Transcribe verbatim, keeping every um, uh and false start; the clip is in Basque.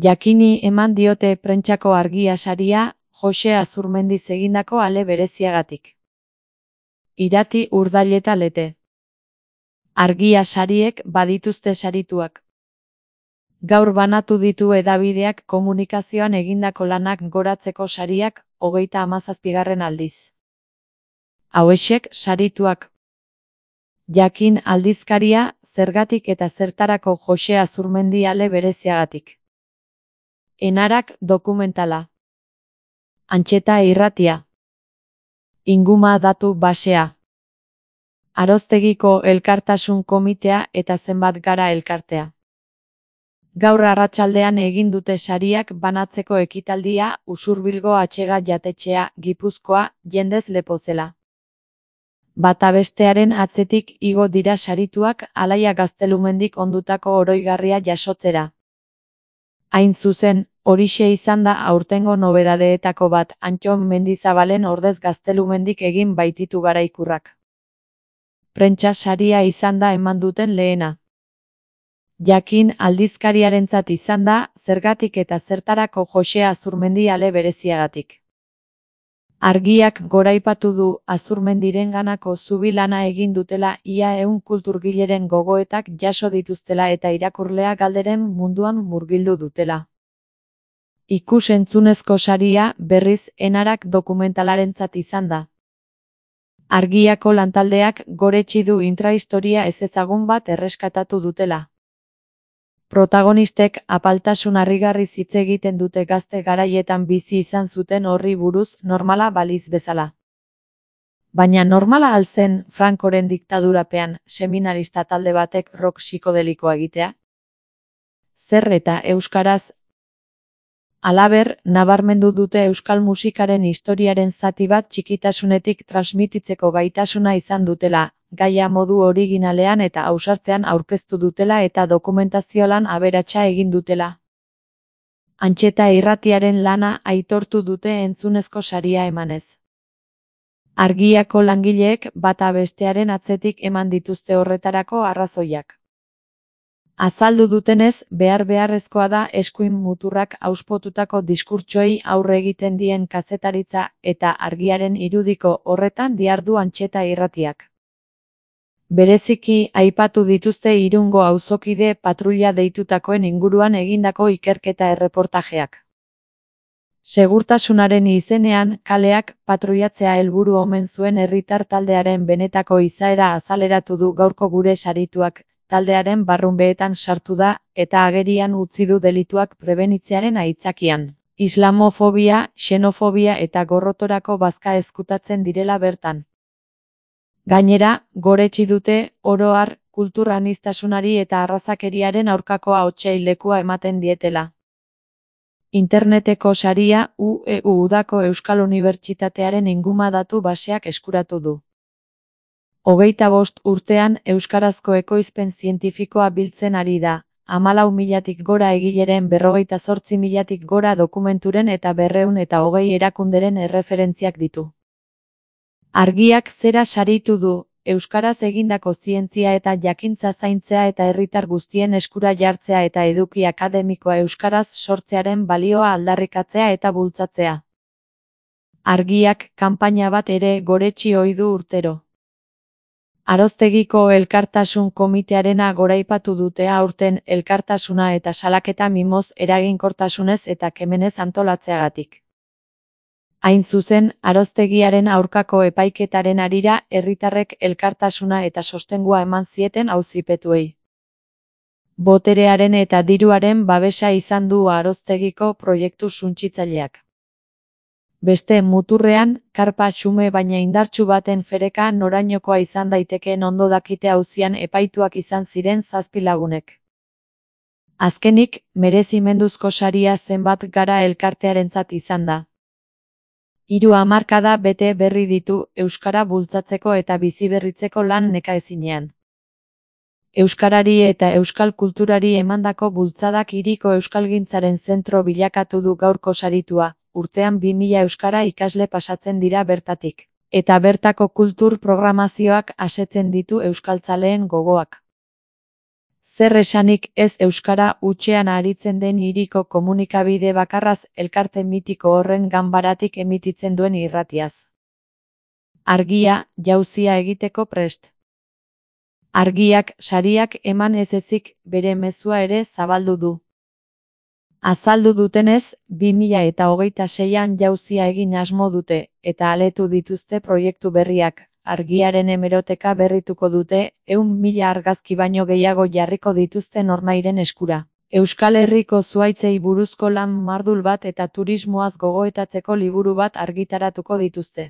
Jakini eman diote Prentsako Argia saria Jose Azurmendiz egindako ale bereziagatik. Irati Urdaileta Lete. Argia sariek badituzte sarituak. Gaur banatu ditu hedabideak komunikazioan egindako lanak goratzeko sariak hogeita hamazazpigarren aldiz. Hauexek sarituak. Jakin aldizkaria, zergatik eta zertarako Jose Azurmendi ale bereziagatik. Enarak dokumentala. Antxeta irratia. Inguma datu basea. Aroztegiko Elkartasun Komitea eta Zenbat Gara Elkartea. Gaur arratsaldean egin dute sariak banatzeko ekitaldia Usurbilgo Atxega Jatetxea, Gipuzkoa, jendez lepo zela. Bata bestearen atzetik igo dira sarituak Alaia Gaztelumendik ondutako oroigarria jasotzera. Hain zuzen, horixe izan da aurtengo nobedadeetako bat Antton Mendizabalen ordez Gaztelumendik egin baititu garaikurrak. Prentsa saria izan da eman duten lehena. Jakin aldizkariarentzat izan da, zergatik eta zertarako Jose Azurmendi ale bereziagatik. Argiak goraipatu du Azurmendirenganako zubi-lana egin dutela ia ehun kulturgileren gogoetak jaso dituztela eta irakurlea galderen munduan murgildu dutela. Ikus-entzunezko saria, berriz, Enarak dokumentalarentzat izan da. Argiako lantaldeak goretsi du intrahistoria ezezagun bat erreskatatu dutela. Protagonistek apaltasun harrigarriz hitz egiten dute gazte garaietan bizi izan zuten horri buruz normala baliz bezala. Baina normala al zen Francoren diktadurapean seminarista talde batek rock psikodelikoa egitea? Zer eta euskaraz? Halaber, nabarmendu dute euskal musikaren historiaren zati bat txikitasunetik transmititzeko gaitasuna izan dutela, gaia modu originalean eta ausartean aurkeztu dutela eta dokumentazio lan aberatsa egin dutela. Antxeta irratiaren lana aitortu dute entzunezko saria emanez. Argiako langileek bata bestearen atzetik eman dituzte horretarako arrazoiak. Azaldu dutenez, behar beharrezkoa da eskuin muturrak auspotutako diskurtsoei aurre egiten dien kazetaritza eta argiaren irudiko horretan dihardu Antxeta irratiak. Bereziki aipatu dituzte Irungo auzokide patruila deitutakoen inguruan egindako ikerketa erreportajeak. Segurtasunaren izenean, kaleak patruiatzea helburu omen zuen herritar taldearen benetako izaera azaleratu du gaurko gure sarituak, taldearen barrunbeetan sartu da, eta agerian utzi du delituak prebenitzearen aitzakian. Islamofobia, xenofobia eta gorrotorako bazka ezkutatzen direla bertan. Gainera, goretsi dute, oro har, kultur aniztasunari eta arrazakeriaren aurkako ahotsei lekua ematen dietela. Interneteko saria U E U udako Euskal Unibertsitatearen inguma datu baseak eskuratu du. Hogeita bost urtean euskarazko ekoizpen zientifikoa biltzen ari da, hamalau milatik gora egileren berrogeita zortzi milatik gora dokumenturen eta berrehun eta hogei erakunderen erreferentziak ditu. Argiak zera saritu du, euskaraz egindako zientzia eta jakintza zaintzea eta herritar guztien eskura jartzea eta eduki akademikoa euskaraz sortzearen balioa aldarrikatzea eta bultzatzea. Argiak kanpaina bat ere goretsi ohi du urtero. Aroztegiko Elkartasun Komitearena goraipatu dute aurten elkartasuna eta salaketa mimoz eraginkortasunez eta kemenez antolatzeagatik. Hain zuzen, Aroztegiaren aurkako epaiketaren harira herritarrek elkartasuna eta sostengua eman zieten auzipetuei. Boterearen eta diruaren babesa izan du Aroztegiko proiektu suntsitzaileak. Beste muturrean, karpa xume baina indartsu baten fereka norainokoa izan daitekeen ondo dakite auzian epaituak izan ziren zazpi lagunek. Azkenik, merezimenduzko saria Zenbat Gara elkartearentzat izan da. Hiru hamarkada bete berri ditu euskara bultzatzeko eta biziberritzeko lan nekaezinean. Euskarari eta euskal kulturari emandako bultzadak hiriko euskalgintzaren zentro bilakatu du gaurko saritua. Urtean bi mila euskara ikasle pasatzen dira bertatik, eta bertako kultur programazioak asetzen ditu euskaltzaleen gogoak. Zer esanik ez euskara hutsean aritzen den hiriko komunikabide bakarraz elkarte mitiko horren ganbaratik emititzen duen irratiaz. Argia, jauzia egiteko prest. Argiak sariak eman ez ezik bere mezua ere zabaldu du. Azaldu dutenez, bi mila eta hogeita seian jauzia egin asmo dute, eta aletu dituzte proiektu berriak. Argiaren hemeroteka berrituko dute, ehun mila argazki baino gehiago jarriko dituzte nornahiren eskura. Euskal Herriko zuhaitzei buruzko lan mardul bat eta turismoaz gogoetatzeko liburu bat argitaratuko dituzte.